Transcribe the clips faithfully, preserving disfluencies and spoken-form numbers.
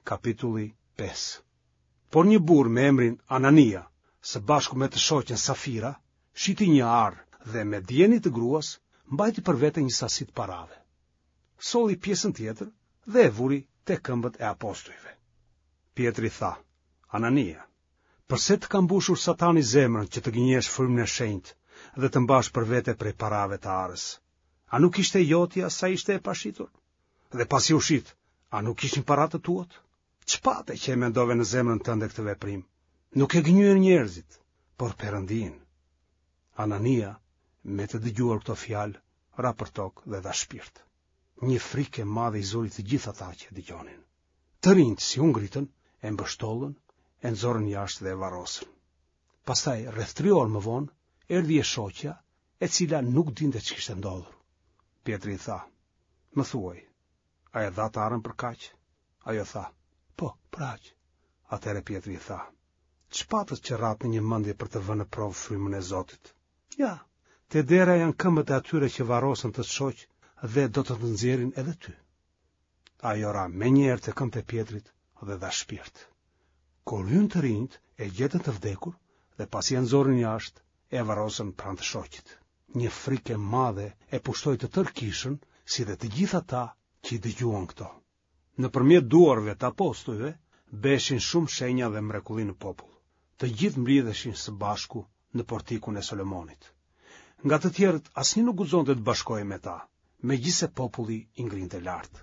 Kapitulli pesë. Por një burrë me emrin Anania, së bashku me të shoqen Safira, shiti një arë dhe me dijeni të gruas, mbajti për vete një sasi të parave. Solli pjesën tjetër dhe e vuri te këmbët e apostujve. Pjetri tha, Anania, përse të ka mbushur Satani zemrën që të gënjesh frymën e shenjtë dhe të mbash për vete prej parave të arës? A nuk ishte jotja sa ishte e pashitur? Dhe pasi u shit, a nuk ishin para të tuat? Ç'pate që e mendove në zemrën tënde këtë veprim? Nuk e gënjyen njerëzit, por Perëndinë. Anania, me të dëgjuar këto fjalë, ra për tokë dhe dha shpirt. Një frikë e madhe i zuri të gjithë ata që e dëgjonin. Të rinjtë si u ngritën, e mbështollën, e nxorën jashtë dhe e varrosën. Pastaj, rreth tri orë më vonë, erdhi e shoqja, e cila nuk dinte ç'kishte ndodhur. Pjetri i tha, Më thuaj, a e dhatë arën për kaq? Ajo tha, Po, për aq. Atëherë Pjetri i tha, Ç'patët që ratë në një mendje për të vënë në provë frymën e Zotit? Ja, te dera janë këmbët e atyre që varrosën tët shoq dhe do të të nxjerrin edhe ty. Ajo ra menjëherë te këmbët e Pjetrit dhe dha shpirt. Kur hynë të rinjtë, e gjetën të vdekur dhe pasi e nxorën jashtë, e varrosën pranë të shoqit. Një frikë e madhe e pushtoi të tërë kishën, si dhe të gjithë ata që i dëgjuan këto. Nëpërmjet duarve të apostujve bëheshin shumë shenja dhe mrekulli në popull. Të gjithë mblidheshin së bashku në portikun e Solomonit. Nga të tjerët asnjë nuk guxonte të bashkohej me ta, megjithëse populli i ngrinte lart.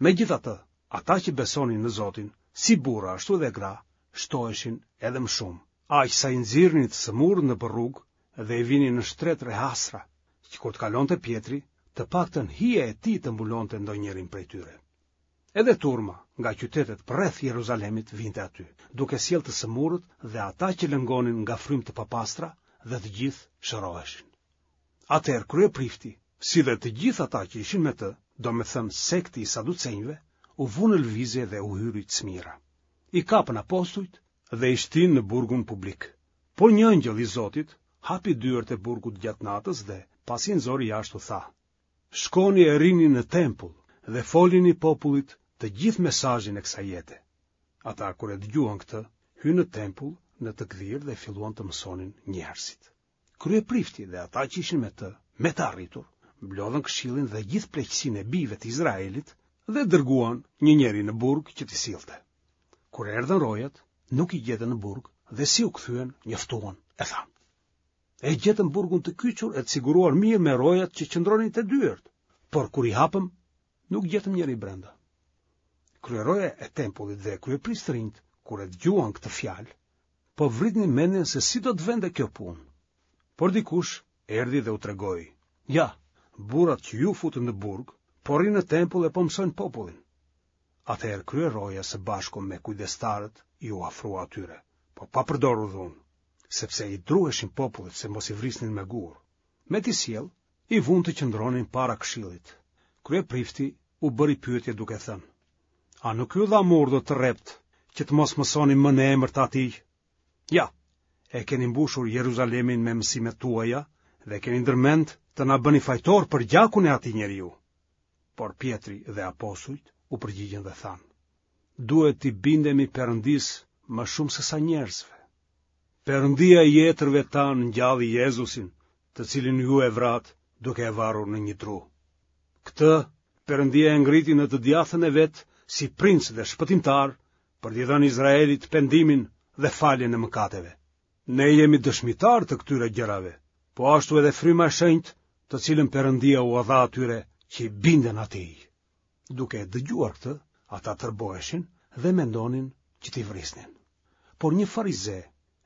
Megjithatë, ata që besonin në Zotin, si burra ashtu edhe gra, shtoheshin edhe më shumë, aq sa i nxirrnin të sëmurët nëpër rrugë dhe i vinin në shtretër e hasra, që kur të kalonte Pjetri, të paktën hija e tij të mbulonte ndonjërin prej tyre. Edhe turma nga qytetet përreth Jeruzalemit vinte aty, duke sjellë të sëmurët dhe ata që lëngonin nga frymë të papastra dhe të gjithë shëroheshin. Atëherë kryeprifti, si dhe të gjithë ata që ishin me të, domethënë sekti i saducenjve, u vunë në lëvizje dhe u hyri cmira. I kapën apostujt dhe i shtinë në burgun publik. Por një engjëll i Zotit hapi dyert e burgut gjatë natës dhe, pasi i nxori jashtë u tha, Shkoni e rrini në tempull dhe folini popullit të gjithë mesazhin e kësaj jete. Ata kur e dëgjuan këtë, hynë në tempull në të gdhirë dhe filluan të mësonin njerëzit. Kryeprifti dhe ata që ishin me të, me të arritur, mblodhën këshillin dhe gjithë pleqësinë e bijve të Izraelit dhe dërguan një njeri në burg që t'i sillte. Kur erdhën rojat, nuk i gjetën në burg dhe si u kthyen, njoftuan e thanë. E gjetëm burgun të kyçur e të siguruar mirë me rojat që qëndronin te dyert, por kur i hapëm, nuk gjetëm njeri brenda. Kryeroja e tempullit dhe kryepriftërinjtë, kur e dëgjuan këtë fjalë, po vritnin mendjen se si do të vente kjo punë. Por dikush erdhi dhe u tregoi, ja, burrat që ju futët në burg, po rrinë në tempull e po mësojnë popullin. Atëherë kryeroja së bashku me kujdestarët iu afrua atyre, po pa përdorur dhunë, sepse i druheshin popullit se mos i vrisnin me gurë. Me t'i sjellë, i vunë të qëndronin para këshillit. Kryeprifti u bëri pyetje duke thënë, A nuk ju dhamë urdhër të rreptë që të mos mësoni më në emër të atij? Ja, e keni mbushur Jeruzalemin me mësimet tuaja dhe keni ndërmend të na bëni fajtorë për gjakun e atij njeriu. Por Pjetri dhe apostujt u përgjigjën dhe thanë, Duhet t'i bindemi Perëndisë më shumë se sa njerëzve. Perëndia i etërve tanë ngjalli Jezusin, të cilin ju e vratë duke e varur në një dru. Këtë Perëndia e ngriti në të djathtën e vet si princ dhe shpëtimtar për t'i dhënë Izraelit pendimin dhe faljen e mëkateve. Ne jemi dëshmitarë të këtyre gjërave, po ashtu edhe Fryma e Shenjtë, të cilën Perëndia ua dha atyre që i binden atij. Duke e dëgjuar këtë, ata tërboheshin dhe mendonin që t'i vrisnin. Por një farize,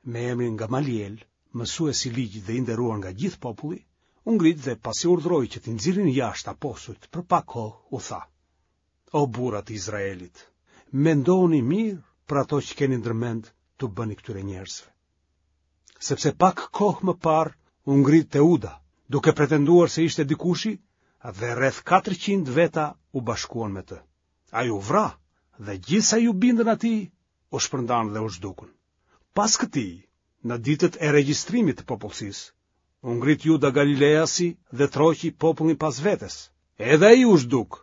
me emrin Gamaliel, mësues i ligjit dhe i nderuar nga gjithë populli, u ngrit dhe pasi urdhëroi që t'i nxirrnin jashtë apostujt për pak kohë, u tha: O burra të Izraelit, mendoni mirë për ato që keni ndërmend t'u bëni këtyre njerëzve. Sepse pak kohë më parë u ngrit Teuda, duke pretenduar se ishte dikushi, dhe rreth katërqind veta u bashkuan me të. Ai u vra dhe gjithë sa iu bindën atij, u shpërndanë dhe u zhdukën. Pas këtij, në ditët e regjistrimit të popullsisë, u ngrit Juda Galileasi dhe tërhoqi popullin pas vetes. Edhe ai u zhduk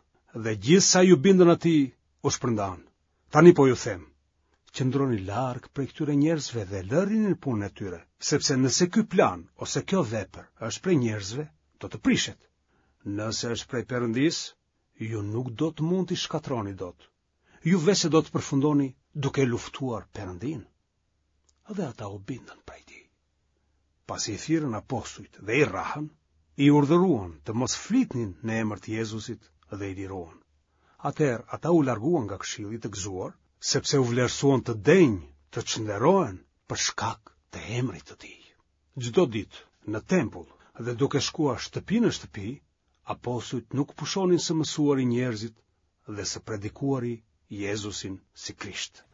dhe gjithë sa iu bindën atij u shpërndanë. Tani po ju them, qëndroni larg prej këtyre njerëzve dhe lërini punën e tyre, sepse nëse ky plan ose kjo vepër është prej njerëzve, do të prishet. Nëse është prej Perëndisë, ju nuk do të mund t'i shkatërroni dot. Ju veçse do të përfundoni duke luftuar Perëndinë. Dhe ata u bindën prej tij. Pasi i thirrën apostujt dhe i rrahën, i urdhëruan të mos flitnin në emër të Jezusit dhe i liruan. Atëherë ata u larguan nga këshilli të gëzuar, sepse u vlerësuan të denjë të çnderohen për shkak të emrit të tij. Çdo ditë në tempull dhe duke shkuar shtëpi në shtëpi, apostujt nuk pushonin së mësuari njerëzit dhe së predikuari Jezusin si Krisht.